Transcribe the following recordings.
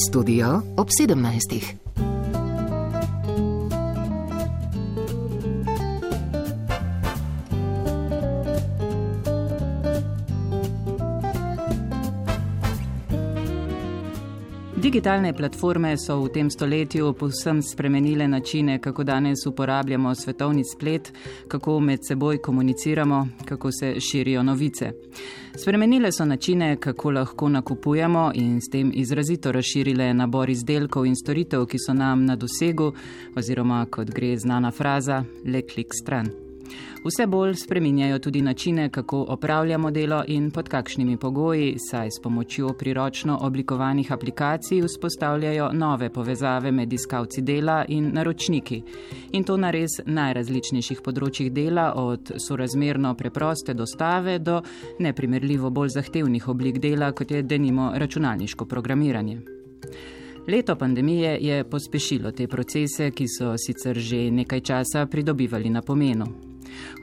Studio ob 17. Digitalne platforme so v tem stoletju povsem spremenile načine, kako danes uporabljamo svetovni splet, kako med seboj komuniciramo, kako se širijo novice. Spremenile so načine, kako lahko nakupujemo in s tem izrazito razširile nabor izdelkov in storitev, ki so nam na dosegu, oziroma kot gre znana fraza, le klik stran. Vse bolj spreminjajo tudi načine, kako opravljamo delo in pod kakšnimi pogoji, saj s pomočjo priročno oblikovanih aplikacij vzpostavljajo nove povezave med iskalci dela in naročniki. In to na res najrazličnejših področjih dela, od sorazmerno preproste dostave do neprimerljivo bolj zahtevnih oblik dela, kot je denimo računalniško programiranje. Leto pandemije je pospešilo te procese, ki so sicer že nekaj časa pridobivali na pomenu.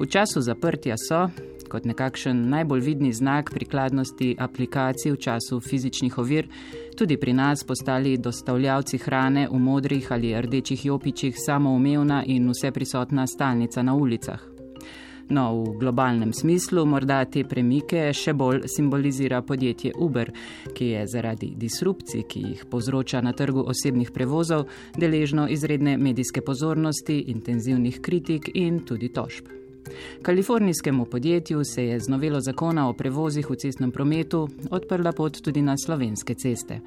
V času zaprtja so, kot nekakšen najbolj vidni znak prikladnosti aplikacij v času fizičnih ovir, tudi pri nas postali dostavljavci hrane v modrih ali rdečih jopičih samoumevna in vseprisotna stalnica na ulicah. No, v globalnem smislu morda te premike še bolj simbolizira podjetje Uber, ki je zaradi disrupcij, ki jih povzroča na trgu osebnih prevozov, deležno izredne medijske pozornosti, intenzivnih kritik in tudi tožb. Kalifornijskemu podjetju se je z novelo zakona o prevozih v cestnem prometu odprla pot tudi na slovenske ceste.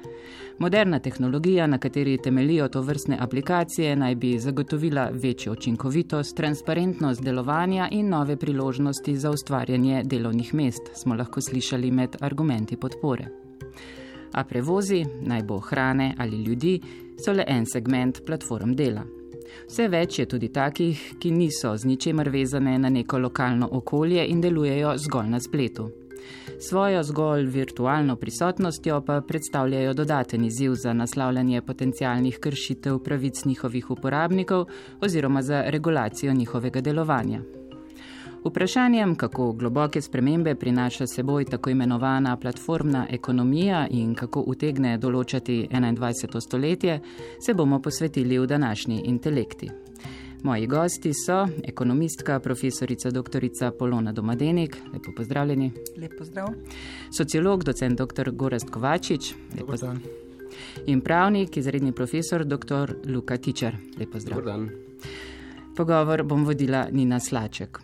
Moderna tehnologija, na kateri temeljijo tovrstne aplikacije, naj bi zagotovila večjo učinkovitost, transparentnost delovanja in nove priložnosti za ustvarjanje delovnih mest, smo lahko slišali med argumenti podpore. A prevozi, naj bo hrane ali ljudi, so le en segment platform dela. Vse več je tudi takih, ki niso z ničemer vezane na neko lokalno okolje in delujejo zgolj na spletu. Svojo zgolj virtualno prisotnostjo pa predstavljajo dodaten izziv za naslavljanje potencialnih kršitev pravic njihovih uporabnikov oziroma za regulacijo njihovega delovanja. Vprašanjem, kako globoke spremembe prinaša seboj tako imenovana platformna ekonomija in kako utegne določati 21. stoletje, se bomo posvetili v današnji intelekti. Moji gosti so ekonomistka, profesorica doktorica Polona Domadenik, lepo pozdravljeni. Lep pozdrav. Sociolog, docent dr. Gorazd Kovačič, lepo pozdrav. In pravnik, izredni profesor dr. Luka Tičar, lepo pozdrav. Pogovor bom vodila Nina Slaček.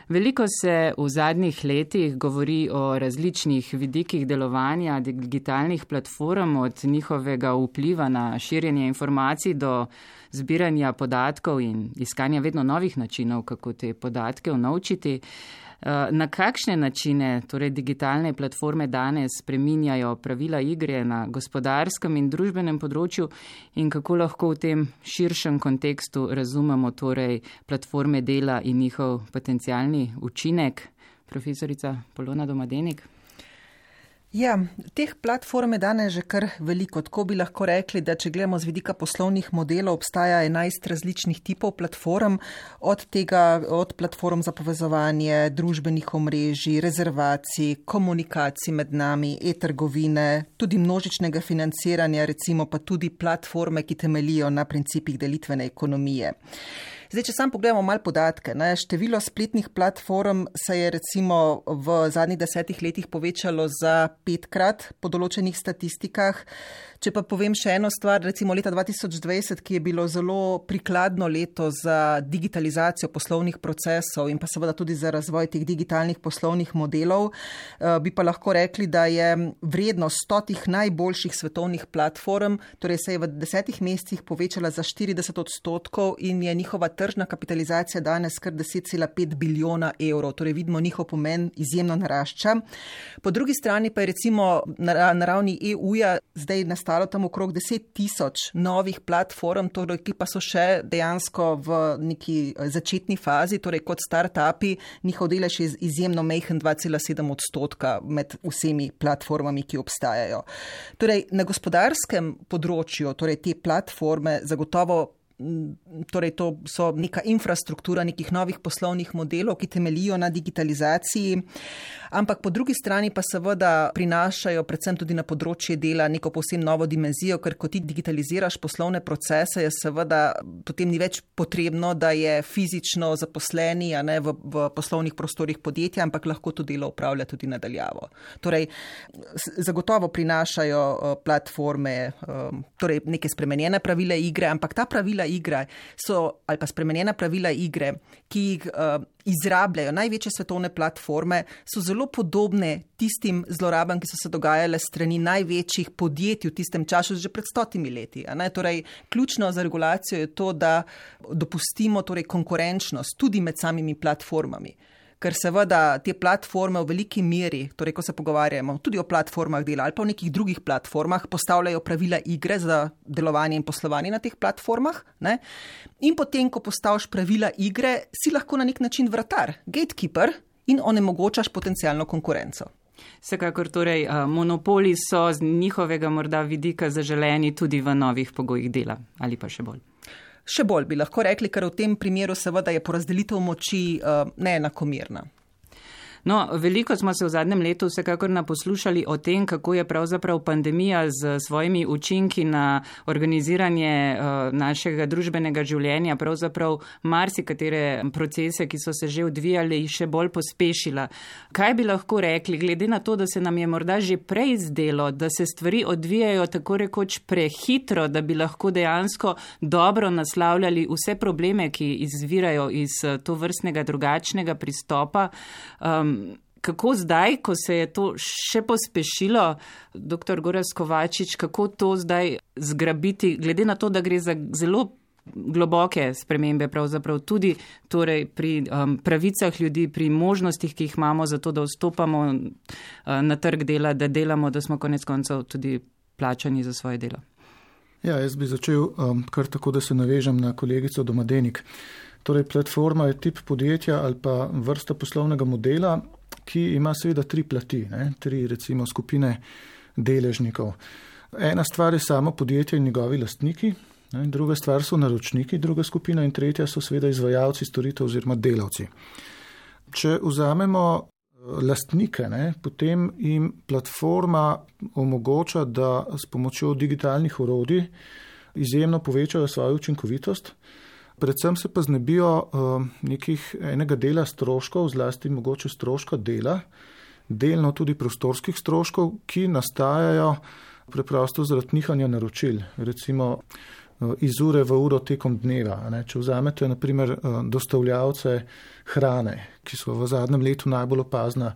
Veliko se v zadnjih letih govori o različnih vidikih delovanja digitalnih platform, od njihovega vpliva na širjenje informacij do zbiranja podatkov in iskanja vedno novih načinov, kako te podatke unovčiti. Na kakšne načine torej digitalne platforme danes spreminjajo pravila igre na gospodarskem in družbenem področju in kako lahko v tem širšem kontekstu razumemo torej platforme dela in njihov potencialni učinek? Profesorica Polona Domadenik. Ja, teh platform je danes že kar veliko. Tako bi lahko rekli, da če gledamo z vidika poslovnih modelov, obstaja 11 različnih tipov platform, od platform za povezovanje, družbenih omrežij, rezervacij, komunikacij med nami, e-trgovine, tudi množičnega financiranja, recimo pa tudi platforme, ki temeljijo na principih delitvene ekonomije. Zdaj, če sam pogledamo malo podatke, število spletnih platform se je recimo v zadnjih 10 letih povečalo za 5-krat po določenih statistikah. Če pa povem še eno stvar, recimo leta 2020, ki je bilo zelo prikladno leto za digitalizacijo poslovnih procesov in pa seveda tudi za razvoj teh digitalnih poslovnih modelov, bi pa lahko rekli, da je vrednost 100 najboljših svetovnih platform, torej se je v 10 mesecih povečala za 40% in je njihova tržna kapitalizacija danes kar 10,5 bilijona evrov, torej vidimo njihov pomen izjemno narašča. Po drugi strani pa je recimo na ravni EU-ja zdaj nastalo tam okrog 10,000 novih platform, torej, ki pa so še dejansko v neki začetni fazi, torej kot start-upi, njihov delež je izjemno majhen 2,7% med vsemi platformami, ki obstajajo. Torej, na gospodarskem področju, torej te platforme zagotovo torej to so neka infrastruktura nekih novih poslovnih modelov, ki temeljijo na digitalizaciji, ampak po drugi strani pa seveda prinašajo predvsem tudi na področje dela neko povsem novo dimenzijo, ker ko ti digitaliziraš poslovne procese, je seveda potem ni več potrebno, da je fizično zaposleni v poslovnih prostorih podjetja, ampak lahko to delo opravlja tudi nadaljavo. Torej, zagotovo prinašajo platforme, torej neke spremenjene pravile igre, ampak ta pravila igre ali pa spremenjena pravila igre, ki jih izrabljajo največje svetovne platforme, so zelo podobne tistim zlorabam, ki so se dogajale strani največjih podjetij v tistem času že pred 100 leti. Torej, ključno za regulacijo je to, da dopustimo torej konkurenčnost tudi med samimi platformami. Ker seveda te platforme v veliki meri, torej ko se pogovarjamo tudi o platformah dela ali pa o nekih drugih platformah, postavljajo pravila igre za delovanje in poslovanje na teh platformah. In potem, ko postaviš pravila igre, si lahko na nek način vratar, gatekeeper in onemogočaš potencialno konkurenco. Vsekakor torej monopoli so z njihovega morda vidika zaželeni tudi v novih pogojih dela ali pa še bolj. Še bolj bi lahko rekli, ker v tem primeru seveda je porazdelitev moči neenakomerna. No, veliko smo se v zadnjem letu vsekakor naposlušali o tem, kako je pravzaprav pandemija z svojimi učinki na organiziranje našega družbenega življenja, pravzaprav marsikatere procese, ki so se že odvijali, še bolj pospešila. Kaj bi lahko rekli, glede na to, da se nam je morda že prej zdelo, da se stvari odvijajo tako rekoč prehitro, da bi lahko dejansko dobro naslavljali vse probleme, ki izvirajo iz tovrstnega drugačnega pristopa. Kako zdaj, ko se je to še pospešilo, dr. Gorazd Kovačič, kako to zdaj zgrabiti, glede na to, da gre za zelo globoke spremembe, pravzaprav tudi torej pri pravicah ljudi, pri možnostih, ki jih imamo za to, da vstopamo na trg dela, da delamo, da smo konec koncev tudi plačani za svoje delo? Ja, jaz bi začel kar tako, da se navežem na kolegico Domadenik. Torej, platforma je tip podjetja ali pa vrsta poslovnega modela, ki ima seveda 3 plati, 3 recimo skupine deležnikov. Ena stvar je samo podjetje in njegovi lastniki, druga stvar so naročniki, druga skupina in tretja so seveda izvajalci storitev oziroma delavci. Če vzamemo lastnike, potem jim platforma omogoča, da s pomočjo digitalnih orodij izjemno povečajo svojo učinkovitost. Predvsem se pa znebijo enega dela stroškov, zlasti mogoče stroška dela, delno tudi prostorskih stroškov, ki nastajajo preprosto zaradi nihanja naročil, recimo iz ure v uro tekom dneva. Če vzamete na primer dostavljavce hrane, ki so v zadnjem letu najbolj opazna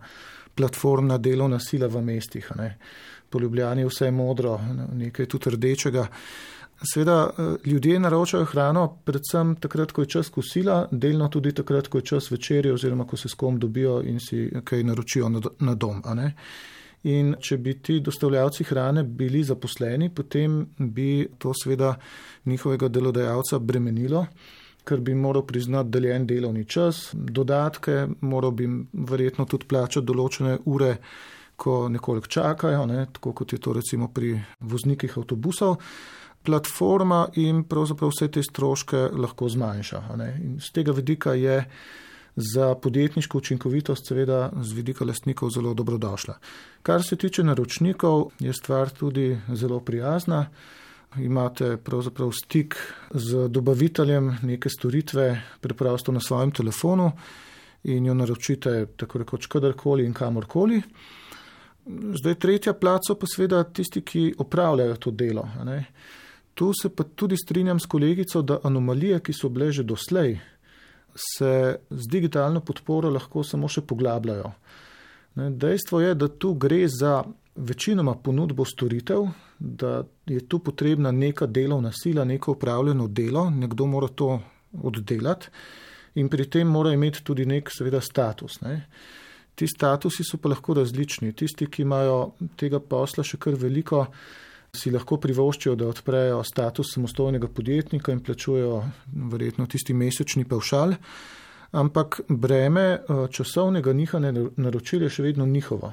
platformna delovna sila v mestih. Po Ljubljani je vse modro, nekaj tudi rdečega. Seveda ljudje naročajo hrano predvsem takrat, ko je čas kosila, delno tudi takrat, ko je čas večerje oziroma ko se s kom dobijo in si kaj naročijo na dom. In če bi ti dostavljavci hrane bili zaposleni, potem bi to seveda njihovega delodajalca bremenilo, ker bi moral priznati deljen delovni čas, dodatke, moral bi verjetno tudi plačati določene ure, ko nekoliko čakajo, tako kot je to recimo pri voznikih avtobusov. Platforma jim pravzaprav vse te stroške lahko zmanjša. In z tega vidika je za podjetniško učinkovitost seveda z vidika lastnikov zelo dobrodošla. Kar se tiče naročnikov, je stvar tudi zelo prijazna. Imate pravzaprav stik z dobaviteljem neke storitve preprosto na svojem telefonu in jo naročite tako rekoč kadarkoli in kamorkoli. Zdaj tretja plat so pa seveda tisti, ki opravljajo to delo. Tu se pa tudi strinjam s kolegico, da anomalije, ki so bile že doslej, se z digitalno podporo lahko samo še poglabljajo. Dejstvo je, da tu gre za večinoma ponudbo storitev, da je tu potrebna neka delovna sila, neko upravljeno delo, nekdo mora to oddelati in pri tem mora imeti tudi nek seveda status. Ti statusi so pa lahko različni. Tisti, ki imajo tega posla še kar veliko, si lahko privoščijo, da odprejo status samostojnega podjetnika in plačujejo verjetno tisti mesečni pavšal, ampak breme časovnega nihanja naročil je še vedno njihovo.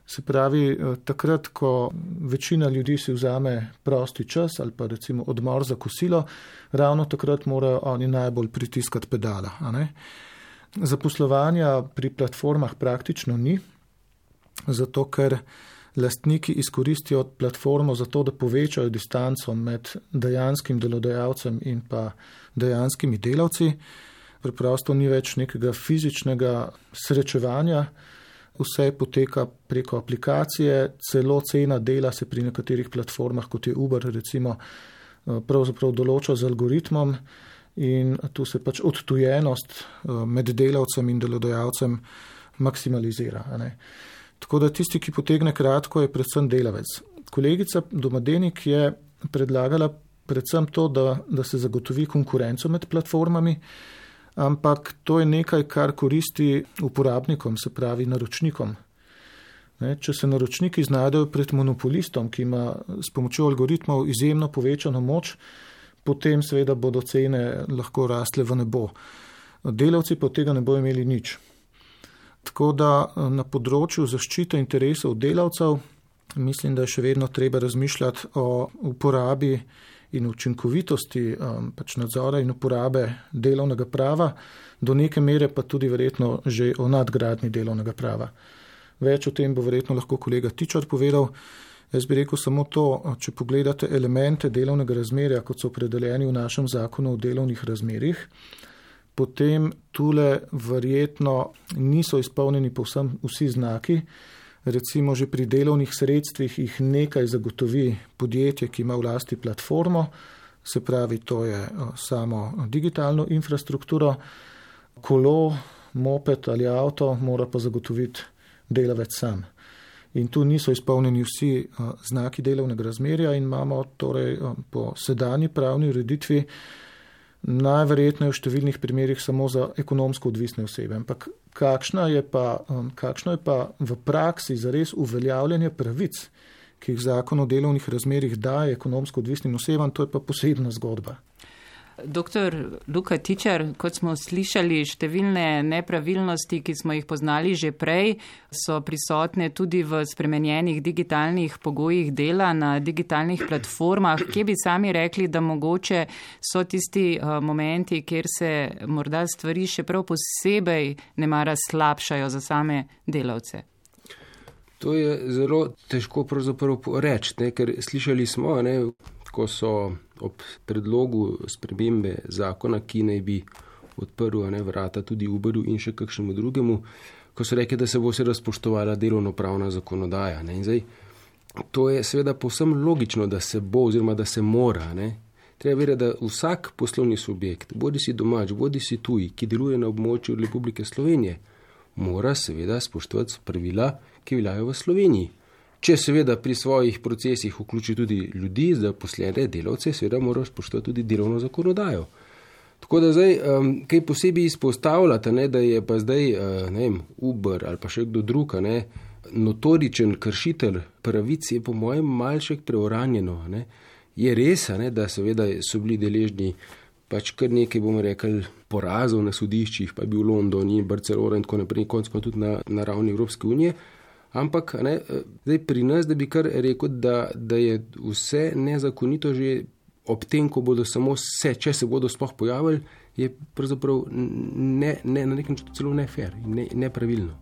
Se pravi, takrat, ko večina ljudi si vzame prosti čas ali pa recimo odmor za kosilo, ravno takrat morajo oni najbolj pritiskati pedala. A ne? Zaposlovanja pri platformah praktično ni, zato ker lastniki izkoristijo platformo za to, da povečajo distanco med dejanskim delodajalcem in pa dejanskimi delavci. Preprosto ni več nekega fizičnega srečevanja, vse poteka preko aplikacije, celo cena dela se pri nekaterih platformah, kot je Uber, recimo, pravzaprav določa z algoritmom in tu se pač odtujenost med delavcem in delodajalcem maksimalizira. Ne? Tako da tisti, ki potegne kratko, je predvsem delavec. Kolegica Domadenik je predlagala predvsem to, da se zagotovi konkurenco med platformami, ampak to je nekaj, kar koristi uporabnikom, se pravi naročnikom. Če se naročniki znajdejo pred monopolistom, ki ima s pomočjo algoritmov izjemno povečano moč, potem seveda bodo cene lahko rastle v nebo. Delavci pa od tega ne bodo imeli nič. Tako da na področju zaščite interesov delavcev mislim, da je še vedno treba razmišljati o uporabi in učinkovitosti pač nadzora in uporabe delovnega prava, do neke mere pa tudi verjetno že o nadgradnji delovnega prava. Več o tem bo verjetno lahko kolega Tičar povedal. Jaz bi rekel samo to, če pogledate elemente delovnega razmerja, kot so opredeljeni v našem zakonu o delovnih razmerjih, potem tule verjetno niso izpolnjeni povsem vsi znaki. Recimo že pri delovnih sredstvih jih nekaj zagotovi podjetje, ki ima v lasti platformo, se pravi, to je samo digitalno infrastrukturo, kolo, moped ali avto mora pa zagotoviti delavec sam. In tu niso izpolnjeni vsi znaki delovnega razmerja in imamo torej po sedanji pravni ureditvi najverjetneje v številnih primerjih samo za ekonomsko odvisne osebe. Ampak kakšno je pa v praksi zares uveljavljanje pravic, ki jih zakon o delovnih razmerjih daje ekonomsko odvisnim osebam, to je pa posebna zgodba. Doktor Luka Tičar, kot smo slišali, številne nepravilnosti, ki smo jih poznali že prej, so prisotne tudi v spremenjenih digitalnih pogojih dela na digitalnih platformah. Kje bi sami rekli, da mogoče so tisti momenti, kjer se morda stvari še prav posebej nemara slabšajo za same delavce? To je zelo težko pravzaprav reči, ker slišali smo, ko so ob predlogu spremembe zakona, ki naj bi odprl vrata tudi Uberju in še kakšnemu drugemu, ko so rekli, da se bo seveda spoštovala delovnopravna zakonodaja. In zdaj, to je seveda povsem logično, da se bo oziroma da se mora. Treba vedeti, da vsak poslovni subjekt, bodi si domač, bodi si tuj, ki deluje na območju Republike Slovenije, mora seveda spoštovati pravila, ki veljajo v Sloveniji. Če seveda pri svojih procesih vključi tudi ljudi, zaposlene delavce, seveda mora spoštovati tudi delovno zakonodajo. Tako da zdaj, kaj posebej izpostavljate, da je pa zdaj, Uber ali pa še kdo drug, notoričen kršitelj pravic, je po mojem malček preuranjeno. Je res, da seveda so bili deležni pač kar nekaj, bomo rekli, porazov na sodiščih, pa je bil London in Barcelona in tako naprej, končno tudi na ravni Evropske unije. Ampak zdaj pri nas, da bi kar rekel, da je vse nezakonito že ob tem, ko bodo samo če se bodo sploh pojavili, je pravzaprav na nek način celo nefair in nepravilno.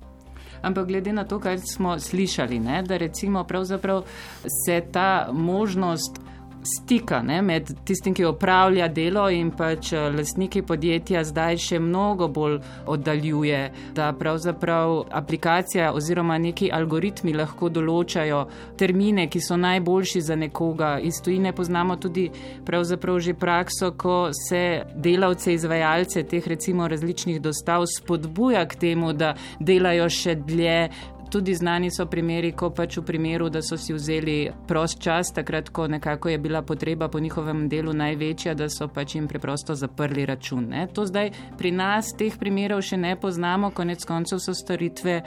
Ampak glede na to, kar smo slišali, da recimo pravzaprav se ta možnost stika med tistim, ki opravlja delo in pač lastniki podjetja zdaj še mnogo bolj oddaljuje, da pravzaprav aplikacija oziroma neki algoritmi lahko določajo termine, ki so najboljši za nekoga. Iz tujine poznamo tudi pravzaprav že prakso, ko se delavce, izvajalce teh recimo različnih dostav spodbuja k temu, da delajo še dlje. Tudi znani so primeri, ko pač v primeru, da so si vzeli prost čas, takrat, ko nekako je bila potreba po njihovem delu največja, da so pač jim preprosto zaprli račun. To zdaj pri nas teh primerov še ne poznamo, konec koncev so storitve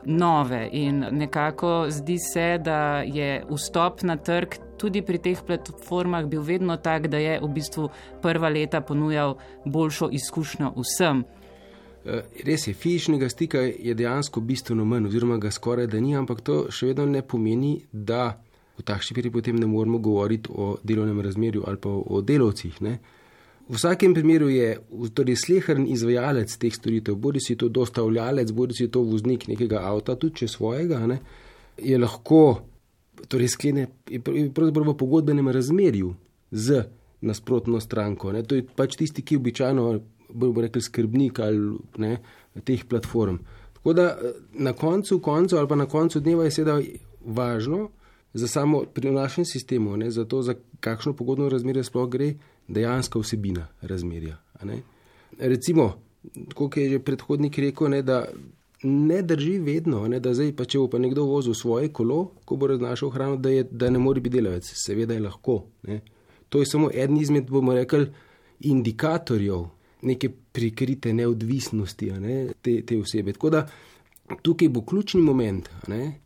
nove in nekako zdi se, da je vstop na trg tudi pri teh platformah bil vedno tak, da je v bistvu prva leta ponujal boljšo izkušnjo vsem. Res je, fizičnega stika je dejansko bistveno manj, oziroma ga skoraj da ni, ampak to še vedno ne pomeni, da v takšni peri potem ne moramo govoriti o delovnem razmerju ali pa o delavcih. Ne. V vsakem primeru je torej sleherni izvajalec teh storitev, bodi si to dostavljalec, bodi si to voznik nekega avta, tudi če svojega, ne, je lahko torej sklene pravzaprav v pogodbenem razmerju z nasprotno stranko. Ne. To je pač tisti, ki običajno bomo rekli skrbnik ali ne, teh platform. Tako da na koncu ali pa na koncu dneva je seveda važno za samo pri našem sistemu, ne, za to, za kakšno pogodno razmerje sploh gre, dejanska vsebina razmerja. Ne. Recimo, kot je že predhodnik rekel, ne, da ne drži vedno, ne, da zdaj pa če bo pa nekdo vozil svoje kolo, ko bo raznašal hrano, da ne more biti delavec. Seveda je lahko. Ne. To je samo eden izmed, bomo rekli, indikatorjev neke prikrite neodvisnosti, ne, te osebe. Tako da tukaj bo ključni moment, ne,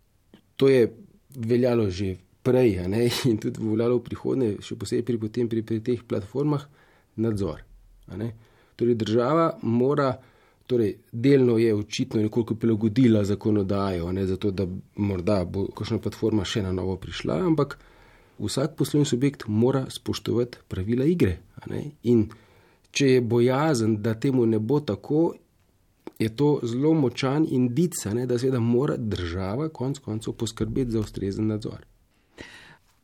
to je veljalo že prej, ne, in tudi veljalo v prihodnje, še posebej pri teh platformah, nadzor. Ne. Torej država mora, torej delno je očitno nekoliko prilagodila zakonodajo, ne, zato da morda bo kakšna platforma še na novo prišla, ampak vsak poslovni subjekt mora spoštovati pravila igre. Ne. In če je bojazen, da temu ne bo tako, je to zelo močan indic, da seveda mora država konec koncev poskrbeti za ustrezen nadzor.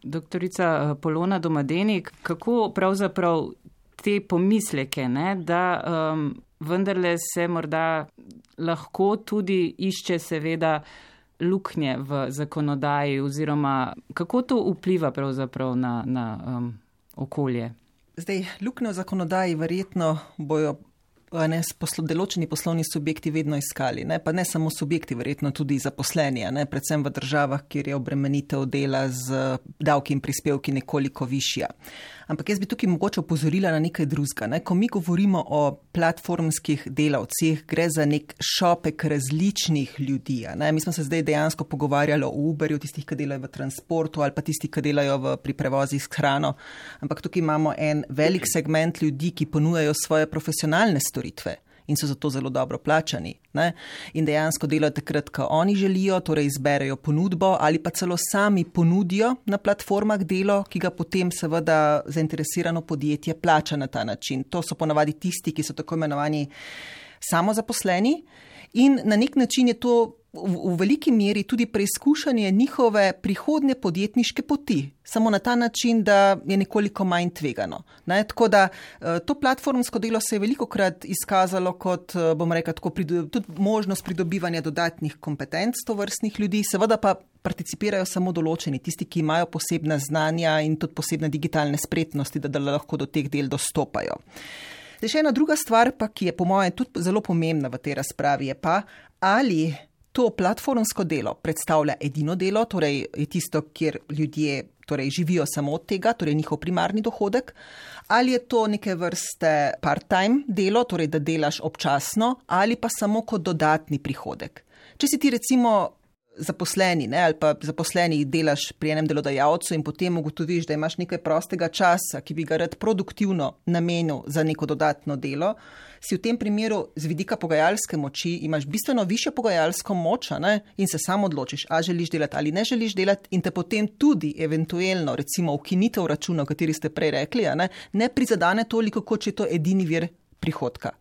Doktorica Polona Domadenik, kako pravzaprav te pomisleke, ne, da vendarle se morda lahko tudi išče seveda luknje v zakonodaji oziroma kako to vpliva pravzaprav na okolje? Zdaj, luknje v zakonodaji verjetno bojo določeni poslovni subjekti vedno iskali, ne? Pa ne samo subjekti, verjetno tudi zaposleni, ne? Predvsem v državah, kjer je obremenitev dela z davki in prispevki nekoliko višja. Ampak jaz bi tukaj mogoče opozorila na nekaj drugega. Ne? Ko mi govorimo o platformskih delavcih, gre za nek šopek različnih ljudi. Ne? Mi smo se zdaj dejansko pogovarjali o Uberju, tistih, ki delajo v transportu ali pa tistih, ki delajo pri prevozih s hrano. Ampak tukaj imamo en velik segment ljudi, ki ponujajo svoje profesionalne storitve in so zato zelo dobro plačani. Ne? In dejansko delajo takrat, ko oni želijo, torej izberejo ponudbo ali pa celo sami ponudijo na platformah delo, ki ga potem seveda zainteresirano podjetje plača na ta način. To so ponavadi tisti, ki so tako imenovani samozaposleni in na nek način je to v veliki meri tudi preizkušanje njihove prihodnje podjetniške poti. Samo na ta način, da je nekoliko manj tvegano. Ne? Tako da to platformsko delo se je velikokrat izkazalo kot, bom rekel, tudi možnost pridobivanja dodatnih kompetenc tovrstnih ljudi, seveda pa participirajo samo določeni, tisti, ki imajo posebna znanja in tudi posebne digitalne spretnosti, da lahko do teh del dostopajo. Zdaj še ena druga stvar, pa, ki je po mojem tudi zelo pomembna v tej razpravi, je pa, ali to platformsko delo predstavlja edino delo, torej je tisto, kjer ljudje torej živijo samo od tega, torej njihov primarni dohodek, ali je to neke vrste part-time delo, torej da delaš občasno, ali pa samo kot dodatni prihodek. Če si ti recimo zaposleni, ne, ali pa zaposleni delaš pri enem delodajalcu in potem ugotoviš, da imaš nekaj prostega časa, ki bi ga rad produktivno namenil za neko dodatno delo, si v tem primeru z vidika pogajalske moči imaš bistveno višjo pogajalsko moč, ne, in se sam odločiš, a želiš delati ali ne želiš delati in te potem tudi eventuelno recimo ukinitev računa, o kateri ste prej rekli, ne prizadane toliko, kot če je to edini vir prihodka.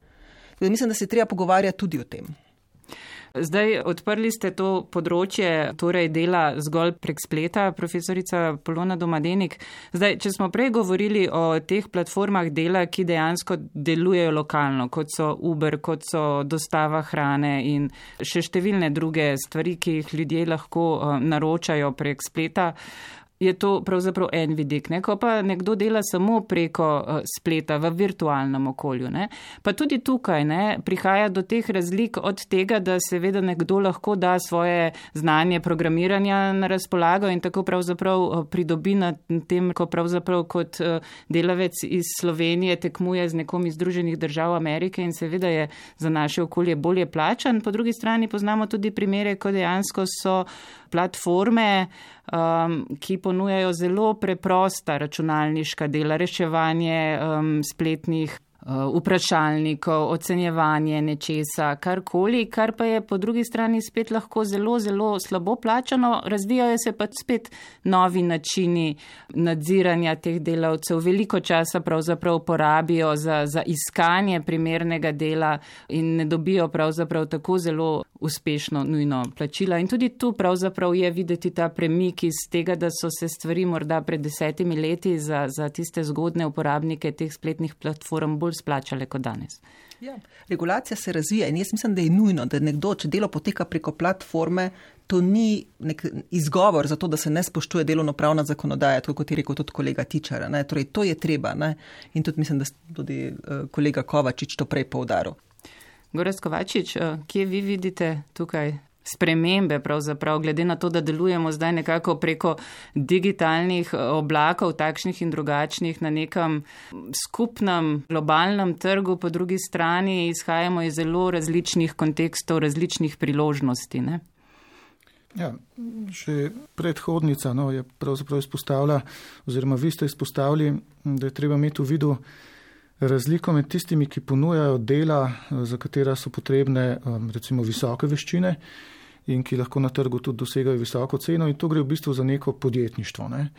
Mislim, da se treba pogovarjati tudi o tem. Zdaj, odprli ste to področje, torej dela zgolj prek spleta, profesorica Polona Domadenik. Zdaj, če smo prej govorili o teh platformah dela, ki dejansko delujejo lokalno, kot so Uber, kot so dostava hrane in še številne druge stvari, ki jih ljudje lahko naročajo prek spleta, je to pravzaprav en vidik. Ne? Ko pa nekdo dela samo preko spleta v virtualnem okolju, ne? Pa tudi tukaj ne, prihaja do teh razlik od tega, da seveda nekdo lahko da svoje znanje programiranja na razpolago in tako pravzaprav pridobi na tem, ko pravzaprav kot delavec iz Slovenije tekmuje z nekom iz Združenih držav Amerike in seveda je za naše okolje bolje plačan. Po drugi strani poznamo tudi primere, ko dejansko so platforme, ki ponujajo zelo preprosta računalniška dela, reševanje spletnih vprašalnikov, ocenjevanje nečesa, karkoli, kar pa je po drugi strani spet lahko zelo, zelo slabo plačano. Razvijajo se pa spet novi načini nadziranja teh delavcev. Veliko časa pravzaprav porabijo za iskanje primernega dela in ne dobijo pravzaprav tako zelo uspešno nujno plačila. In tudi tu pravzaprav je videti ta premik iz tega, da so se stvari morda pred 10 leti za tiste zgodne uporabnike teh spletnih platform bolj splačale kot danes. Ja, regulacija se razvija in jaz mislim, da je nujno, da nekdo, če delo poteka preko platforme, to ni nek izgovor za to, da se ne spoštuje delovnopravna zakonodaja, tako kot je rekel tudi kolega Tičar. Torej, to je treba. Ne? In tudi mislim, da tudi kolega Kovačič to prej poudaril. Gorazd Kovačič, kje vi vidite tukaj spremembe pravzaprav, glede na to, da delujemo zdaj nekako preko digitalnih oblakov, takšnih in drugačnih, na nekem skupnem globalnem trgu, po drugi strani izhajamo iz zelo različnih kontekstov, različnih priložnosti, ne? Ja, že predhodnica je pravzaprav izpostavila, oziroma vi ste izpostavili, da je treba imeti v vidu razliko med tistimi, ki ponujajo dela, za katera so potrebne recimo visoke veščine in ki lahko na trgu tudi dosegajo visoko ceno, in to gre v bistvu za neko podjetništvo. Ne.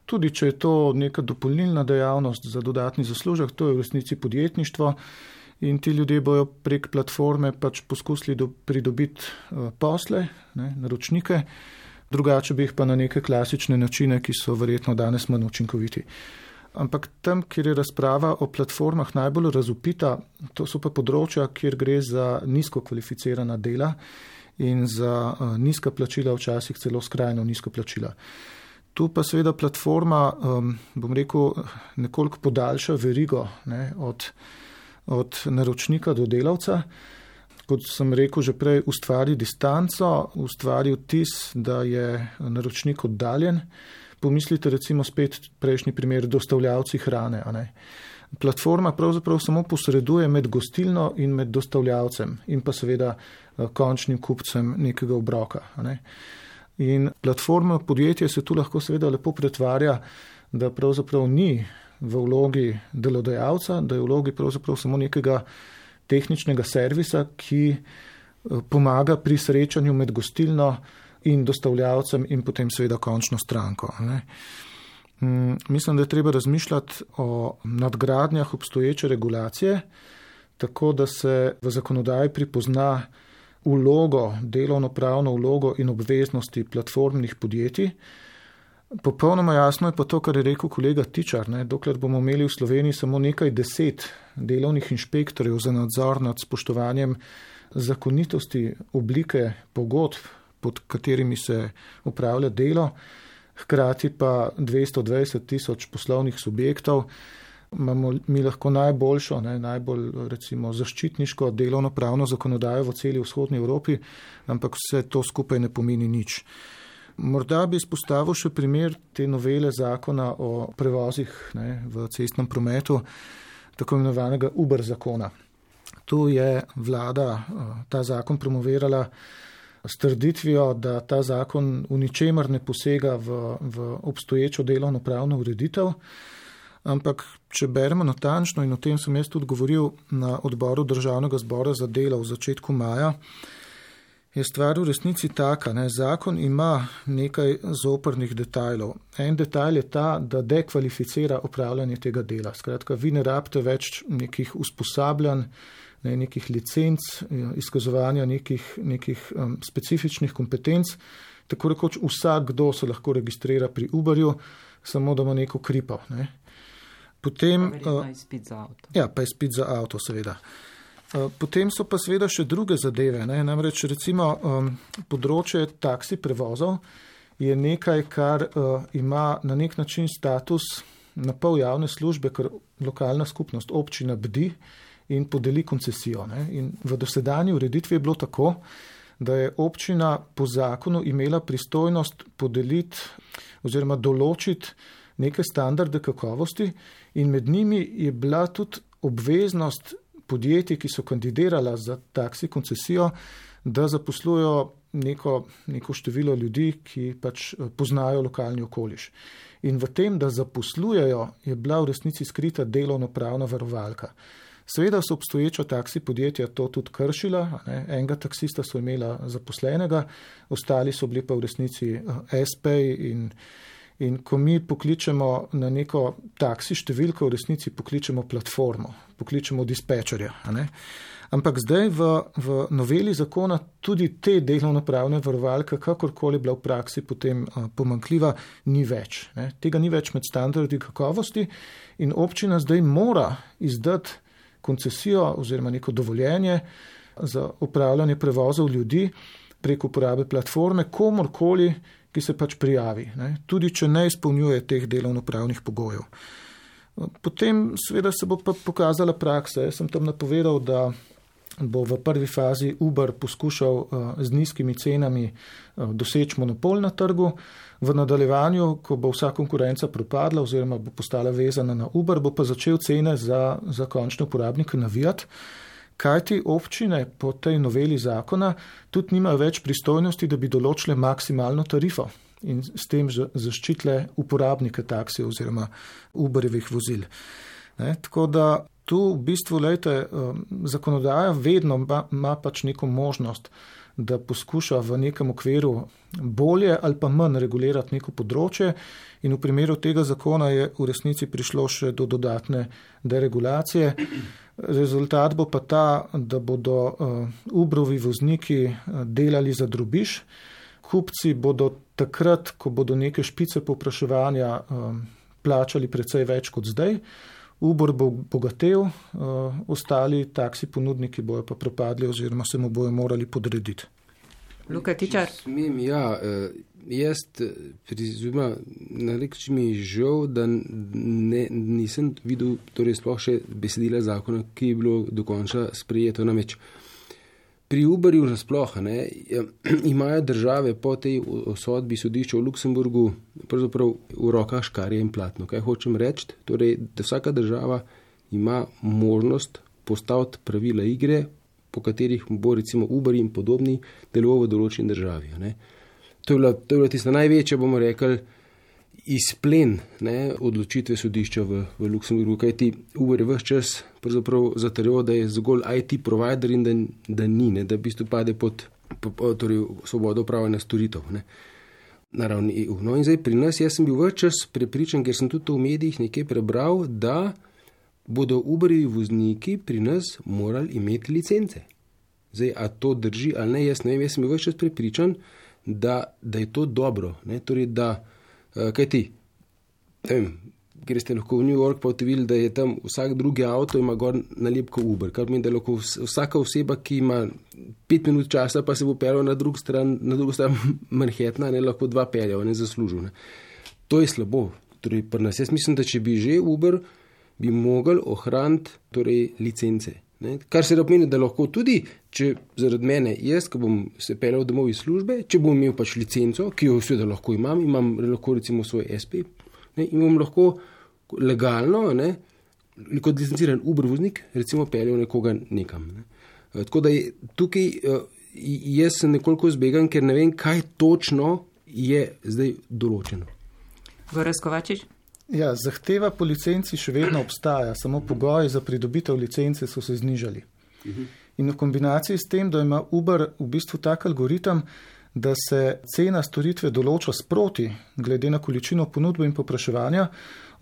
Tudi če je to neka dopolnilna dejavnost za dodatni zaslužek, to je v resnici podjetništvo in ti ljudje bojo prek platforme pač poskusili pridobiti posle, naročnike, drugače bi jih pa na neke klasične načine, ki so verjetno danes manj učinkoviti. Ampak tam, kjer je razprava o platformah najbolj razvpita, to so pa področja, kjer gre za nizko kvalificirana dela in za nizka plačila, včasih celo skrajno nizko plačila. Tu pa seveda platforma, bom rekel, nekoliko podaljša verigo od naročnika do delavca. Kot sem rekel že prej, ustvari distanco, ustvari vtis, da je naročnik oddaljen. Pomislite recimo spet prejšnji primer dostavljavci hrane. Platforma pravzaprav samo posreduje med gostilno in med dostavljavcem in pa seveda končnim kupcem nekega obroka. In platforma podjetje se tu lahko seveda lepo pretvarja, da pravzaprav ni v vlogi delodajalca, da je v vlogi pravzaprav samo nekega tehničnega servisa, ki pomaga pri srečanju med gostilno in dostavljavcem in potem seveda končno stranko. Mislim, da je treba razmišljati o nadgradnjah obstoječe regulacije, tako da se v zakonodaji pripozna vlogo, delovnopravno vlogo in obveznosti platformnih podjetij. Popolnoma jasno je pa to, kar je rekel kolega Tičar, dokler bomo imeli v Sloveniji samo nekaj 10 delovnih inšpektorjev za nadzor nad spoštovanjem zakonitosti oblike pogodb, pod katerimi se upravlja delo, hkrati pa 220 000 poslovnih subjektov, imamo mi lahko najboljšo, najbolj recimo zaščitniško delovno-pravno zakonodajo v celi vzhodni Evropi, ampak vse to skupaj ne pomeni nič. Morda bi izpostavil še primer te novele zakona o prevozih v cestnem prometu, tako imenovanega Uber zakona. Tu je vlada ta zakon promovirala s trditvijo, da ta zakon v ničemer ne posega v obstoječo delovno-pravno ureditev, ampak če beremo natančno, in o tem sem jaz tudi govoril na odboru Državnega zbora za delo v začetku maja, je stvar v resnici taka. Zakon ima nekaj zoprnih detajlov. En detajl je ta, da dekvalificira opravljanje tega dela. Skratka, vi ne rabite več nekih usposabljanj, nekih licenc, izkazovanja nekih specifičnih kompetenc. Tako rekoč vsakdo se lahko registrira pri Uberju, samo da ima neko kripo. Potem, pa je spet za avto. Ja, pa je spet za avto, seveda. Potem so pa seveda še druge zadeve. Namreč recimo področje taksi prevozov je nekaj, kar ima na nek način status na pol javne službe, ker lokalna skupnost, občina bdi in podeli koncesijo. In v dosedanji ureditvi je bilo tako, da je občina po zakonu imela pristojnost podeliti oziroma določiti neke standarde kakovosti in med njimi je bila tudi obveznost podjetij, ki so kandidirala za taksi koncesijo, da zaposlujo neko število ljudi, ki pač poznajo lokalni okoliš. In v tem, da zaposlujejo, je bila v resnici skrita delovnopravna varovalka. Seveda so obstoječa taksi podjetja to tudi kršila, enega taksista so imela zaposlenega, ostali so bili pa v resnici SP-ji in ko mi pokličemo na neko taksi številko, v resnici pokličemo platformo, pokličemo dispečerja. Ampak zdaj v noveli zakona tudi te delovnopravne varovalke, kakorkoli bila v praksi potem pomanjkljiva, ni več. Tega ni več med standardi kakovosti in občina zdaj mora izdati koncesijo oziroma neko dovoljenje za upravljanje prevozov ljudi prek uporabe platforme komorkoli, ki se pač prijavi, tudi če ne izpolnjuje teh delovnopravnih pogojev. Potem seveda se bo pa pokazala praksa. Jaz sem tam napovedal, da bo v prvi fazi Uber poskušal z nizkimi cenami doseči monopol na trgu. V nadaljevanju, ko bo vsa konkurenca propadla oziroma bo postala vezana na Uber, bo pa začel cene za končne uporabnike navijati, kajti občine po tej noveli zakona tudi nimajo več pristojnosti, da bi določile maksimalno tarifo in s tem zaščitile uporabnike taksije oziroma Uberjevih vozil. Tako da tu v bistvu, zakonodaja vedno ima pač neko možnost, da poskuša v nekem okviru bolje ali pa manj regulirati neko področje in v primeru tega zakona je v resnici prišlo še do dodatne deregulacije. Rezultat bo pa ta, da bodo Uberovi vozniki delali za drobiž, kupci bodo takrat, ko bodo neke špice povpraševanja plačali precej več kot zdaj, Uber bo bogatel, ostali taksi ponudniki bojo pa propadli oziroma se mu bojo morali podrediti. Luka Tičar. Jaz prizumem, na nek način mi je žal, da nisem videl sploh še besedila zakona, ki je bilo dokončno sprejeto. Namreč pri Uberju nasploh imajo države po tej sodbi sodišča v Luksemburgu pravzaprav v rokah škarje in platno. Kaj hočem reči? Torej, da vsaka država ima možnost postaviti pravila igre, po katerih bo recimo Uber in podobni deloval v določeni državi. To je bila tista največja, bomo rekli, izplen odločitve sodišča v Luksemburgu, kajti Uber je ves čas pravzaprav zatrjeval, da je zgolj IT provider in da ni, da v bistvu pade pod svobodo upravljanja storitev na ravni EU. No in zdaj pri nas, jaz sem bil ves čas prepričan, ker sem tudi to v medijih nekaj prebral, da bodo Uberjevi vozniki pri nas morali imeti licence. Zdaj, a to drži ali ne, jaz ne vem, jaz sem bil ves čas prepričan, da je to dobro. Torej, da kaj ti, greste lahko v New York pa videli, da je tam vsak drugi avto ima gor nalepko Uber, kar pomeni, da lahko vsaka oseba, ki ima 5 minut časa, pa se bo peljal na drugo stran Manhattna, lahko 2 peljal, zaslužil. To je slabo. Torej, pri nas jaz mislim, da če bi že Uber, bi mogli ohraniti licence. Kar se da pomeni, da lahko tudi, če zaradi mene, jaz, ko bom se peljal domov iz službe, če bom imel pač licenco, ki jo seveda lahko imam lahko recimo svoj SP, in bom lahko legalno, kot licenciran Uber voznik, recimo peljal nekoga nekam. Tako da tukaj jaz sem nekoliko zbegan, ker ne vem, kaj točno je zdaj določeno. Gorazd Kovačič? Ja, zahteva po licenci še vedno obstaja, samo pogoji za pridobitev licence so se znižali. In v kombinaciji s tem, da ima Uber v bistvu tak algoritem, da se cena storitve določa sproti, glede na količino ponudbe in popraševanja,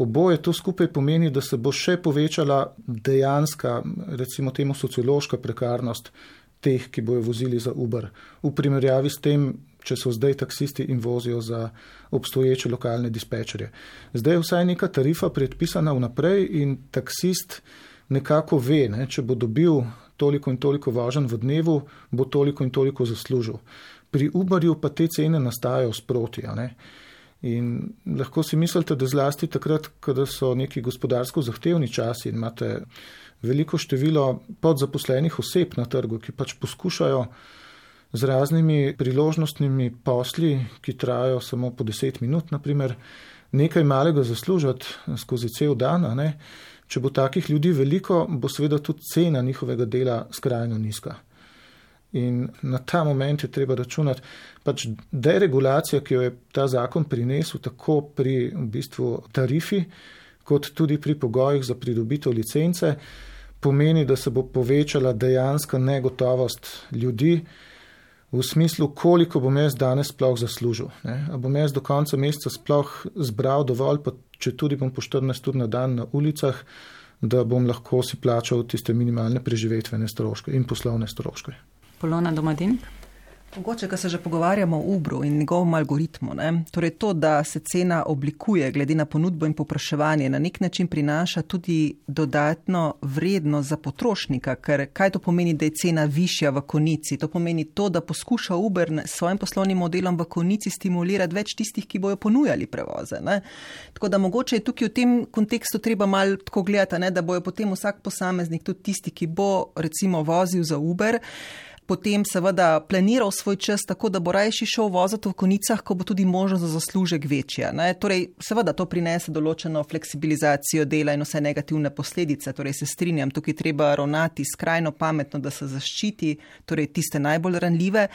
oboje to skupaj pomeni, da se bo še povečala dejanska, recimo temu sociološka prekarnost teh, ki bojo vozili za Uber. V primerjavi s tem, če so zdaj taksisti in vozijo za obstoječe lokalne dispečerje. Zdaj je vsaj neka tarifa predpisana vnaprej in taksist nekako ve, če bo dobil toliko in toliko voženj v dnevu, bo toliko in toliko zaslužil. Pri Uberju pa te cene nastajajo sproti. In lahko si mislite, da zlasti takrat, kada so neki gospodarsko zahtevni časi in imate veliko število podzaposlenih oseb na trgu, ki pač poskušajo z raznimi priložnostnimi posli, ki trajajo samo po 10 minut, naprimer, nekaj malega zaslužiti skozi cel dan. Če bo takih ljudi veliko, bo seveda tudi cena njihovega dela skrajno nizka. In na ta moment je treba računati, pač deregulacija, ki jo je ta zakon prinesel tako pri v bistvu tarifi, kot tudi pri pogojih za pridobitev licence, pomeni, da se bo povečala dejanska negotovost ljudi v smislu, koliko bom jaz danes sploh zaslužil. A bom jaz do konca meseca sploh zbral dovolj, pa če tudi bom po 14 ur na dan na ulicah, da bom lahko si plačal tiste minimalne preživetvene stroške in poslovne stroške. Polona Domadenik? Mogoče, ko se že pogovarjamo o Uberu in njegovem algoritmu, torej to, da se cena oblikuje glede na ponudbo in povpraševanje, na nek način prinaša tudi dodatno vrednost za potrošnika, ker kaj to pomeni, da je cena višja v konici? To pomeni to, da poskuša Uber s svojim poslovnim modelom v konici stimulirati več tistih, ki bojo ponujali prevoze. Tako da mogoče je tukaj v tem kontekstu treba malo tako gledati, da bojo potem vsak posameznik, tudi tisti, ki bo recimo vozil za Uber, potem seveda planiral svoj čas tako, da bo rajši šel voziti v konicah, ko bo tudi možnost za zaslužek večja. Torej, seveda to prinese določeno fleksibilizacijo dela in vse negativne posledice. Torej, se strinjam, tukaj treba ravnati skrajno pametno, da se zaščiti torej tiste najbolj ranljive.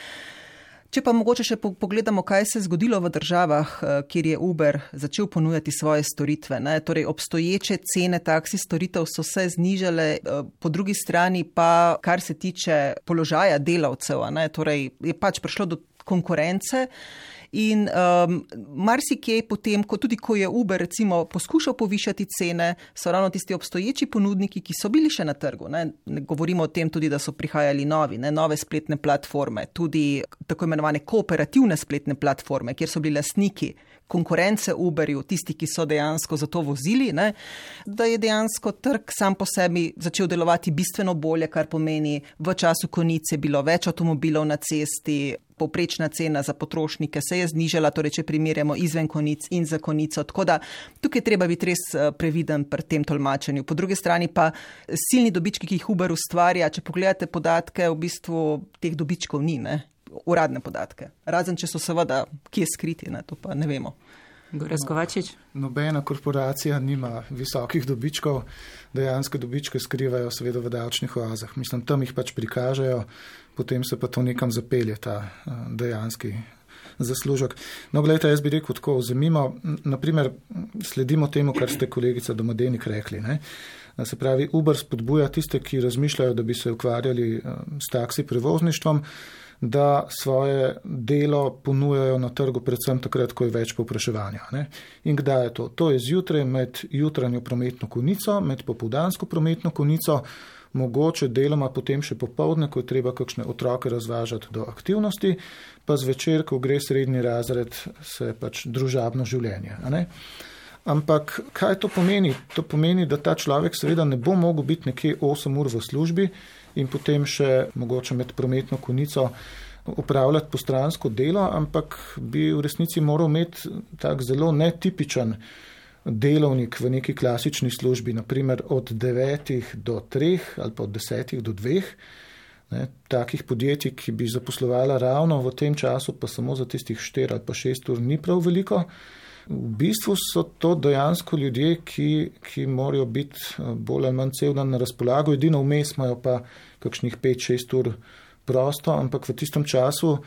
Če pa mogoče še pogledamo, kaj se je zgodilo v državah, kjer je Uber začel ponujati svoje storitve. Torej, obstoječe cene taksi storitev so se znižale, po drugi strani pa, kar se tiče položaja delavcev, torej je pač prišlo do konkurence. In marsikje potem, tudi ko je Uber recimo poskušal povišati cene, so ravno tisti obstoječi ponudniki, ki so bili še na trgu. Ne govorimo o tem tudi, da so prihajali nove spletne platforme, tudi tako imenovane kooperativne spletne platforme, kjer so bili lastniki konkurence Uberju, tisti, ki so dejansko za to vozili, da je dejansko trg sam po sebi začel delovati bistveno bolje, kar pomeni v času konice bilo več avtomobilov na cesti, povprečna cena za potrošnike se je znižala, torej če primerjamo izven konic in za konico. Tako da tukaj treba biti res previden pri tem tolmačenju. Po drugi strani pa silni dobički, ki jih Uber ustvarja, če pogledate podatke, v bistvu teh dobičkov ni, uradne podatke. Razen, če so seveda kje skriti, to pa ne vemo. Gorazd Kovačič? Nobena korporacija nima visokih dobičkov, dejanske dobičke skrivajo seveda v davčnih oazah. Mislim, tam jih pač prikažejo, potem se pa to nekam zapelje, ta dejanski zaslužek. No, gledajte, jaz bi rekel tako, vzemimo, naprimer, sledimo temu, kar ste kolegica Domadenik rekli. Se pravi, Uber spodbuja tiste, ki razmišljajo, da bi se ukvarjali s taksi prevozništvom, da svoje delo ponujajo na trgu predvsem takrat, ko je več povpraševanja. In kdaj je to? To je zjutraj med jutranjo prometno konico, med popoldansko prometno konico, mogoče deloma potem še popoldne, ko je treba kakšne otroke razvažati do aktivnosti, pa zvečer, ko gre srednji razred, se pač družabno življenje. Ampak kaj to pomeni? To pomeni, da ta človek seveda ne bo mogel biti nekje 8 ur v službi in potem še mogoče med prometno konico upravljati postransko delo, ampak bi v resnici moral imeti tak zelo netipičen delovnik v neki klasični službi, naprimer od 9 do 3 ali pa od 10 do 2. Takih podjetij, ki bi zaposlovala ravno v tem času, pa samo za tistih 4 ali pa 6 ur ni prav veliko. V bistvu so to dejansko ljudje, ki morajo biti bolj ali manj cel dan na razpolago, edino vmes imajo pa kakšnih 5-6 ur prosto, ampak v tistem času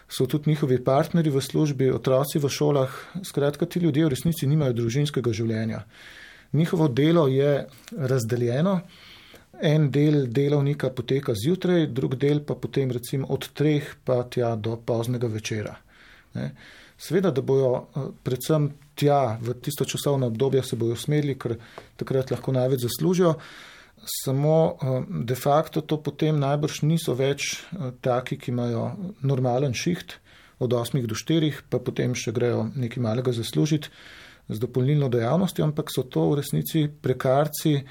so tudi njihovi partnerji v službi, otroci v šolah, skratka ti ljudje v resnici nimajo družinskega življenja. Njihovo delo je razdeljeno, en del delovnika poteka zjutraj, drug del pa potem recimo od 3 pa tja do poznega večera. Seveda, da bojo predvsem tja v tisto časovno obdobje se bojo usmerili, ker takrat lahko največ zaslužijo, samo de facto to potem najbrž niso več taki, ki imajo normalen šiht od 8 do 4, pa potem še grejo nekaj malega zaslužiti z dopolnilno dejavnostjo, ampak so to v resnici prekarci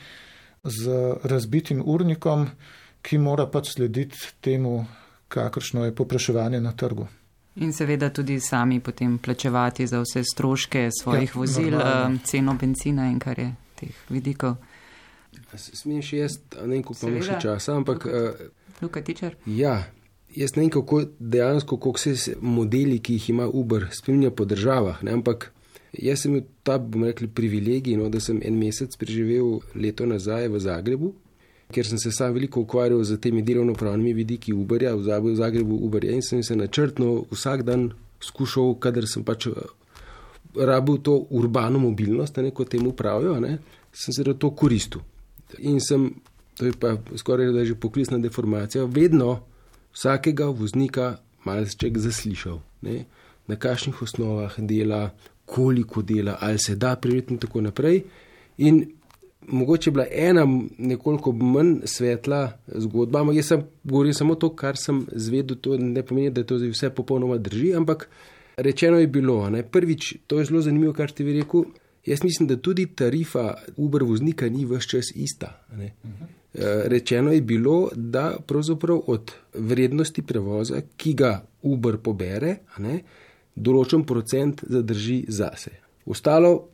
z razbitim urnikom, ki mora pač slediti temu, kakršno je povpraševanje na trgu. In seveda tudi sami potem plačevati za vse stroške svojih vozil, ceno benzina in kar je teh vidikov. Smem še jaz, ne vem, koliko imamo še časa, ampak... Luka Tičar? Ja, jaz ne vem, kako dejansko, koliko se modeli, ki jih ima Uber, spremlja po državah, ampak jaz sem imel ta, bomo rekli, privilegij, da sem en mesec preživel leto nazaj v Zagrebu ker sem se sam veliko ukvarjal z temi delovnopravnimi vidiki Uberja, v Zagrebu Uberja, in sem se načrtno vsak dan skušal, kadar sem pač rabil to urbano mobilnost, kot temu pravijo, sem se to koristil. In sem, to je pa skoraj da že poklicna deformacija, vedno vsakega voznika malček zaslišal, na kakšnih osnovah dela, koliko dela, ali se da preveriti in tako naprej. In mogoče je bila ena nekoliko manj svetla zgodba, ampak jaz govorim samo to, kar sem zvedel, to ne pomeni, da to vse popolnoma drži, ampak rečeno je bilo, prvič, to je zelo zanimivo, kar ste vi rekel, jaz mislim, da tudi tarifa Uber voznika ni ves čas ista. Rečeno je bilo, da pravzaprav od vrednosti prevoza, ki ga Uber pobere, določen procent zadrži zase. Ostalo,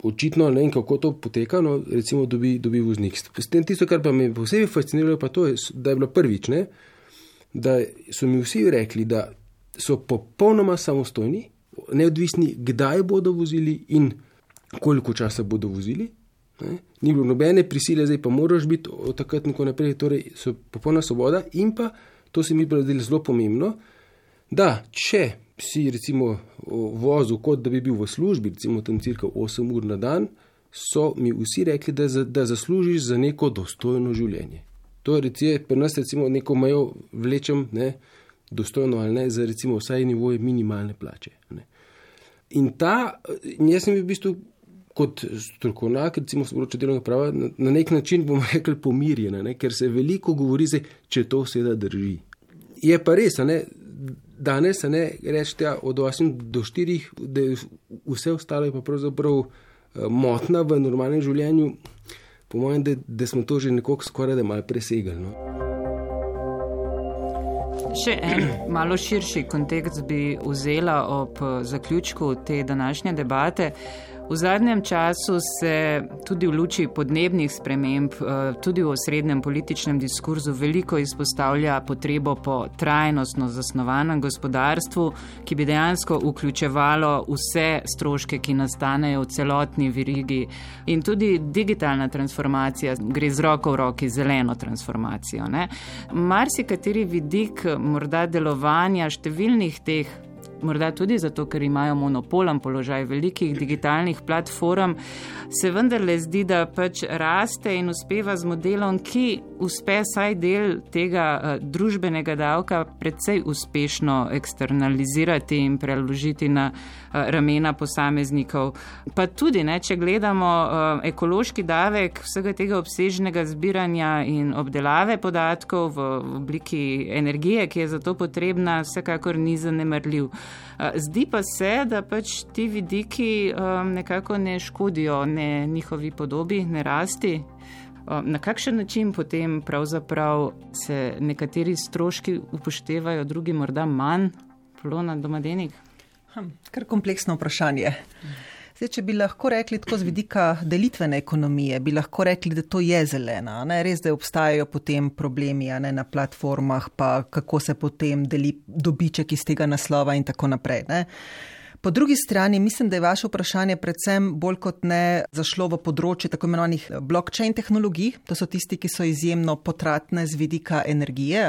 očitno, ne vem, kako to poteka, recimo dobi voznik. S tem tisto, kar pa me posebej fasciniralo, pa to je, da je bilo prvič, da so mi vsi rekli, da so popolnoma samostojni, neodvisni, kdaj bodo vozili in koliko časa bodo vozili. Ni bilo nobene prisile, zdaj pa moraš biti od takrat in tako naprej, torej so popolna svoboda in pa, to se mi bilo zelo pomembno, da če si recimo vozil, kot da bi bil v službi, recimo tam cirka 8 ur na dan, so mi vsi rekli, da zaslužiš za neko dostojno življenje. To je pri nas recimo neko mejo vlečem, dostojno ali ne, za recimo vsaj nivoje minimalne plače. In jaz sem v bistvu kot strokovnjak, recimo s področja delovnega prava, na nek način bomo rekli pomirjena, ker se veliko govori, če to seveda drži. Je pa res, danes rečete od 8 do 4, da vse ostalo je pa pravzaprav motna v normalnem življenju, po mojem, da smo to že nekoliko skoraj da malo presegali. Še en malo širši kontekst bi vzela ob zaključku te današnje debate. V zadnjem času se tudi v luči podnebnih sprememb, tudi v osrednjem političnem diskurzu veliko izpostavlja potrebo po trajnostno zasnovanem gospodarstvu, ki bi dejansko vključevalo vse stroške, ki nastanejo v celotni verigi. In tudi digitalna transformacija gre z roko v roki zeleno transformacijo. Marsikateri vidik morda delovanja številnih teh, morda tudi zato, ker imajo monopolen položaj velikih digitalnih platform, se vendarle zdi, da pač raste in uspeva z modelom, ki uspe saj del tega družbenega davka precej uspešno eksternalizirati in preložiti na ramena posameznikov. Pa tudi, če gledamo ekološki davek vsega tega obsežnega zbiranja in obdelave podatkov v obliki energije, ki je za to potrebna, vsekakor ni zanemarljiv. Zdi pa se, da pač ti vidiki nekako ne škodijo ne njihovi podobi, ne rasti. Na kakšen način potem pravzaprav se nekateri stroški upoštevajo, drugi morda manj? Polona Domadenik? Kar kompleksno vprašanje. Zdaj, če bi lahko rekli tako z vidika delitvene ekonomije, bi lahko rekli, da to je zelena. Res, da obstajajo potem problemi na platformah, pa kako se potem deli dobiček iz tega naslova in tako naprej. Po drugi strani mislim, da je vaše vprašanje predvsem bolj kot ne zašlo v področje tako imenovanih blockchain tehnologij. To so tisti, ki so izjemno potratne z vidika energije.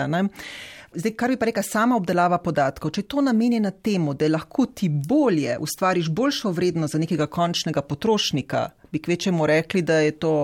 Zdaj, kar bi pa rekla sama obdelava podatkov, če je to namenjeno temu, da lahko ti bolje ustvariš boljšo vrednost za nekega končnega potrošnika, bi kvečemu rekli, da je to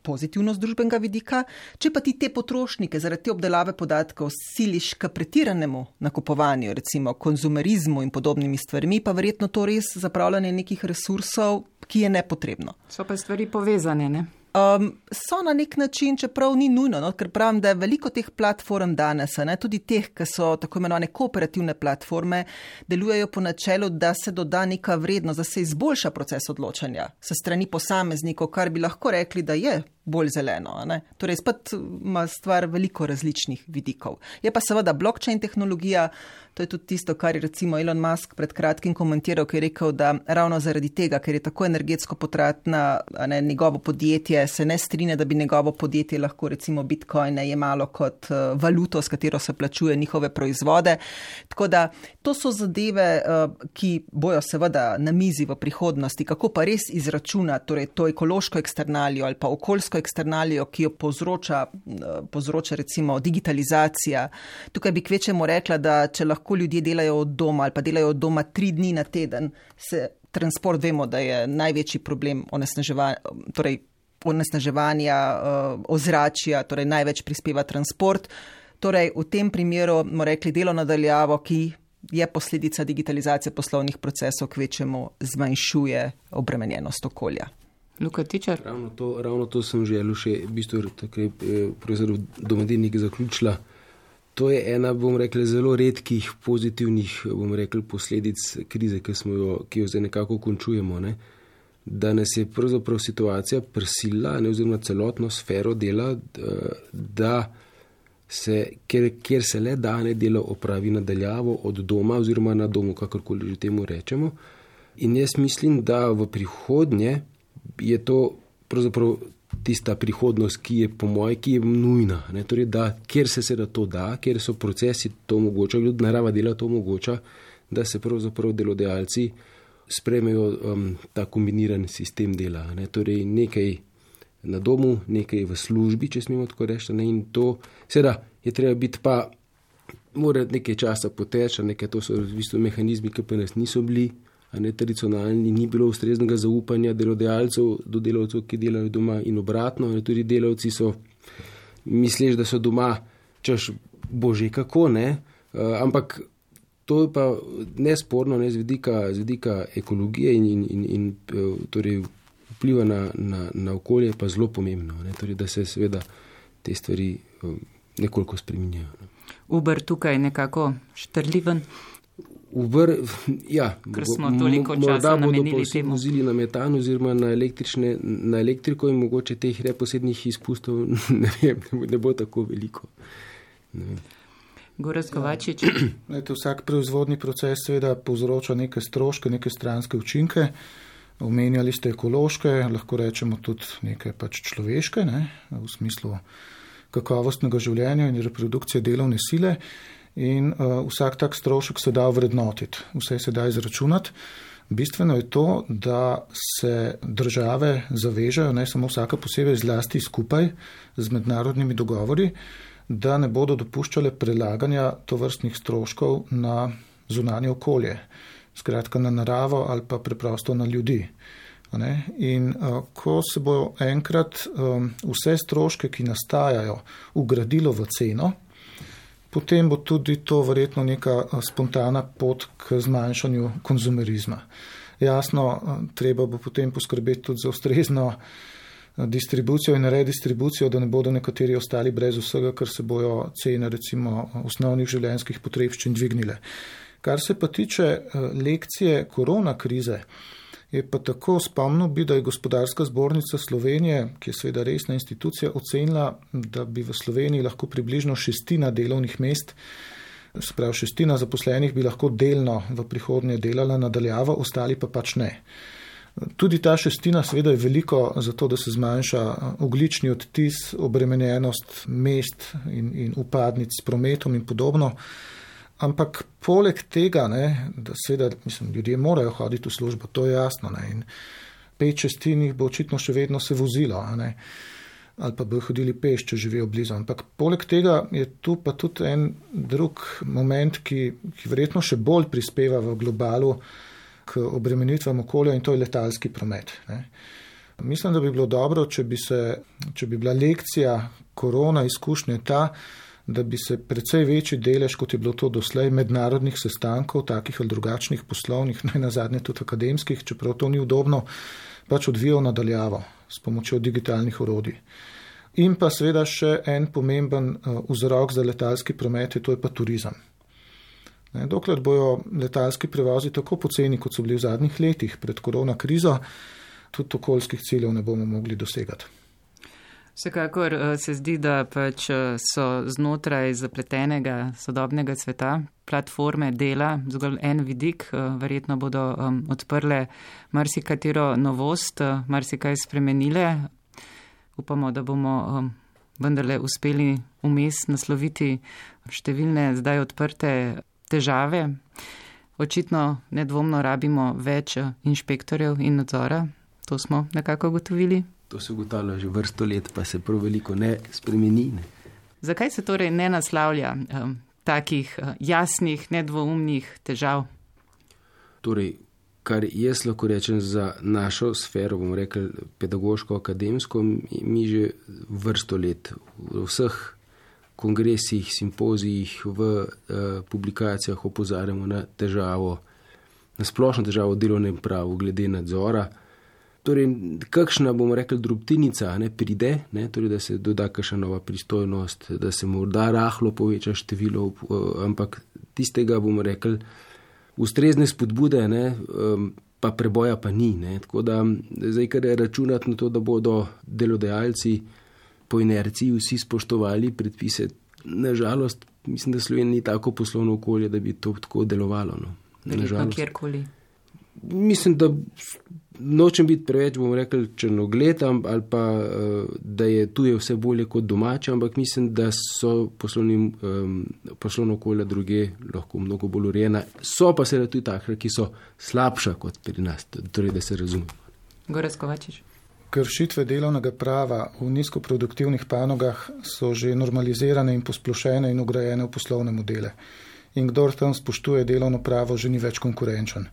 pozitivno z družbenega vidika. Če pa ti te potrošnike zaradi te obdelave podatkov siliš k pretiranemu nakupovanju, recimo konzumerizmu in podobnimi stvarmi, pa verjetno to res zapravljanje nekih resursov, ki je nepotrebno. So pa stvari povezane, ne? So na nek način, čeprav ni nujno, ker pravim, da je veliko teh platform danes, tudi teh, ki so tako imenovane kooperativne platforme, delujejo po načelu, da se doda neka vrednost, da se izboljša proces odločanja se strani posameznikov, kar bi lahko rekli, da je bolj zeleno. Torej, spet ima stvar veliko različnih vidikov. Je pa seveda blockchain tehnologija, to je tudi tisto, kar je recimo Elon Musk pred kratkim komentiral, ki je rekel, da ravno zaradi tega, ker je tako energetsko potratna, njegovo podjetje se ne strinja, da bi njegovo podjetje lahko recimo bitcoine jemalo kot valuto, s katero se plačuje njihove proizvode. Tako da to so zadeve, ki bojo seveda na mizi v prihodnosti, kako pa res izračunati, torej to ekološko eksternalijo ali pa okoljsko okoljsko eksternalijo, ki jo povzroča recimo digitalizacija. Tukaj bi kvečemu rekla, da če lahko ljudje delajo od doma ali pa delajo od doma 3 dni na teden, se transport, vemo, da je največji problem onesnaževanja ozračja, torej največ prispeva transport. Torej v tem primeru bomo rekli delo nadaljavo, ki je posledica digitalizacije poslovnih procesov, kvečemu zmanjšuje obremenjenost okolja. Luka Tičar? Ravno to sem želel še, v bistvu, tako je profesor Domadenik zaključila. To je ena, bom rekel, zelo redkih pozitivnih, bom rekel, posledic krize, ki jo zdaj nekako končujemo, ne? Da nas je pravzaprav situacija prisilila, oziroma celotno sfero dela, da kjer se le da delo opravi nadaljavo od doma oziroma na domu, kakorkoli že temu rečemo. In jaz mislim, da v prihodnje je to pravzaprav tista prihodnost, ki je nujna. Torej, da kjer se seveda to da, kjer so procesi to omogočajo, narava dela to omogoča, da se pravzaprav delodajalci sprejmejo ta kombiniran sistem dela. Torej, nekaj na domu, nekaj v službi, če smemo tako reči. In to, seveda, je treba biti pa, mora nekaj časa poteči, to so v bistvu mehanizmi, ki pa nas niso bili, tradicionalni, ni bilo ustreznega zaupanja delodajalcev do delavcev, ki delajo doma in obratno. Tudi delavci so misleč, da so doma, češ bože kako, ne, ampak to je pa nesporno, z vidika ekologije in torej vpliva na okolje pa zelo pomembno, torej, da se seveda te stvari nekoliko spreminjajo. Uber tukaj nekako štrliven? Uber, ja, ker smo toliko časa namenili temu. Morda bodo vozili na metan oziroma na elektriko in mogoče teh neposrednih izpustov ne bo tako veliko. Gorazd Kovačič. Vsak proizvodni proces seveda povzroča neke stroške, neke stranske učinke. Omenjali ste ekološke, lahko rečemo tudi neke človeške, v smislu kakovostnega življenja in reprodukcije delovne sile. In vsak tak strošek se da vrednotiti, vse se da izračunati. Bistveno je to, da se države zavežejo, ne samo vsaka posebej, zlasti skupaj z mednarodnimi dogovori, da ne bodo dopuščale prelaganja tovrstnih stroškov na zunanje okolje, skratka na naravo ali pa preprosto na ljudi. In ko se bo enkrat vse stroške, ki nastajajo, ugradilo v ceno, potem bo tudi to verjetno neka spontana pot k zmanjšanju konzumerizma. Jasno, treba bo potem poskrbeti tudi za ustrezno distribucijo in redistribucijo, da ne bodo nekateri ostali brez vsega, ker se bojo cene recimo osnovnih življenjskih potrebščin dvignile. Kar se pa tiče lekcije korona krize, je pa tako, spomnil bi, da je Gospodarska zbornica Slovenije, ki je seveda resna institucija, ocenila, da bi v Sloveniji lahko približno 1/6 delovnih mest, se pravi 1/6 zaposlenih bi lahko delno v prihodnje delala nadaljavo, ostali pa ne. Tudi ta 1/6 seveda je veliko za to, da se zmanjša ogljični odtis, obremenjenost mest in upadnic s prometom in podobno. Ampak poleg tega, da seveda, ljudje morajo hoditi v službo, to je jasno, in 5/6 jih bo očitno še vedno se vozilo, ali pa bojo hodili peš, če živijo blizu. Ampak poleg tega je tu pa tudi en drug moment, ki verjetno še bolj prispeva v globalu k obremenitvam okolja, in to je letalski promet. Mislim, da bi bilo dobro, če bi bila lekcija korona izkušnje ta, da bi se precej večji delež, kot je bilo to doslej, mednarodnih sestankov, takih ali drugačnih poslovnih, nazadnje tudi akademskih, čeprav to ni udobno, odvijal nadaljavo s pomočjo digitalnih orodij. In pa seveda še en pomemben vzrok za letalski promet, to je pa turizem. Dokler bojo letalski prevozi tako poceni, kot so bili v zadnjih letih pred korona krizo, tudi okoljskih ciljev ne bomo mogli dosegati. Vsekakor se zdi, da so znotraj zapletenega sodobnega sveta platforme dela zgolj en vidik, verjetno bodo odprle marsikatero novost, marsikaj spremenile. Upamo, da bomo vendarle uspeli vmes nasloviti številne zdaj odprte težave. Očitno nedvomno rabimo več inšpektorjev in nadzora, to smo nekako ugotovili. To se ugotavlja že vrsto let, pa se prav veliko ne spremeni. Ne. Zakaj se torej ne naslavlja takih jasnih, nedvoumnih težav? Torej, kar jaz lahko rečem za našo sfero, bomo rekli pedagoško-akademsko, mi že vrsto let v vseh kongresih, simpozijih, v publikacijah opozarjamo na težavo, na splošno težavo v delovnem pravu glede nadzora. Torej, kakšna, bomo rekli, drobtinica ne pride, ne, torej, da se doda kakšna nova pristojnost, da se morda rahlo poveča število, ampak tistega, bomo rekli, ustrezne spodbude, ne, pa preboja pa ni. Ne. Tako da zdaj, kar je računati na to, da bodo delodajalci po inerciji vsi spoštovali predpise, nažalost, mislim, da Slovenija ni tako poslovno okolje, da bi to tako delovalo. No. Verjetno kjerkoli. Mislim, da nočem biti preveč, bomo rekli, črnogled, ali pa da je tuje vse bolje kot domače, ampak mislim, da so poslovno okolje druge lahko mnogo bolj urejena. So pa seveda tudi takšne, ki so slabša kot pri nas, torej da se razume. Gorazd Kovačič. Kršitve delovnega prava v nizkoproduktivnih panogah so že normalizirane in posplošene in ugrajene v poslovne modele. In kdor tam spoštuje delovno pravo, že ni več konkurenčen.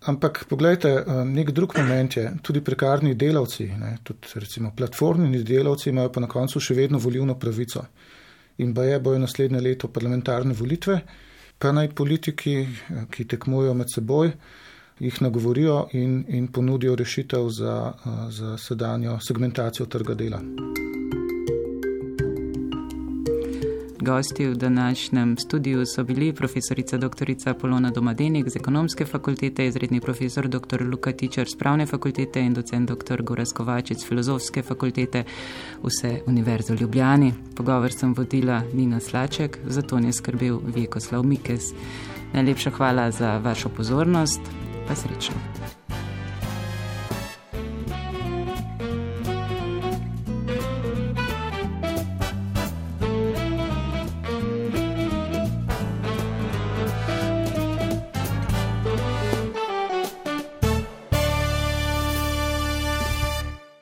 Ampak poglejte, nek drug moment je, tudi prekarni delavci, ne, tudi recimo platformni delavci imajo pa na koncu še vedno volilno pravico. In bojo naslednje leto parlamentarne volitve, pa naj politiki, ki tekmujejo med seboj, jih nagovorijo in ponudijo rešitev za sedanjo segmentacijo trga dela. Gosti v današnjem studiu so bili profesorica dr. Polona Domadenik z Ekonomske fakultete, izredni profesor dr. Luka Tičar z Pravne fakultete in docent dr. Gorazd Kovačič z Filozofske fakultete vse Univerze v Ljubljani. Pogovor sem vodila Nina Slaček, za to je skrbel Vjekoslav Mikes. Najlepša hvala za vašo pozornost, pa srečno.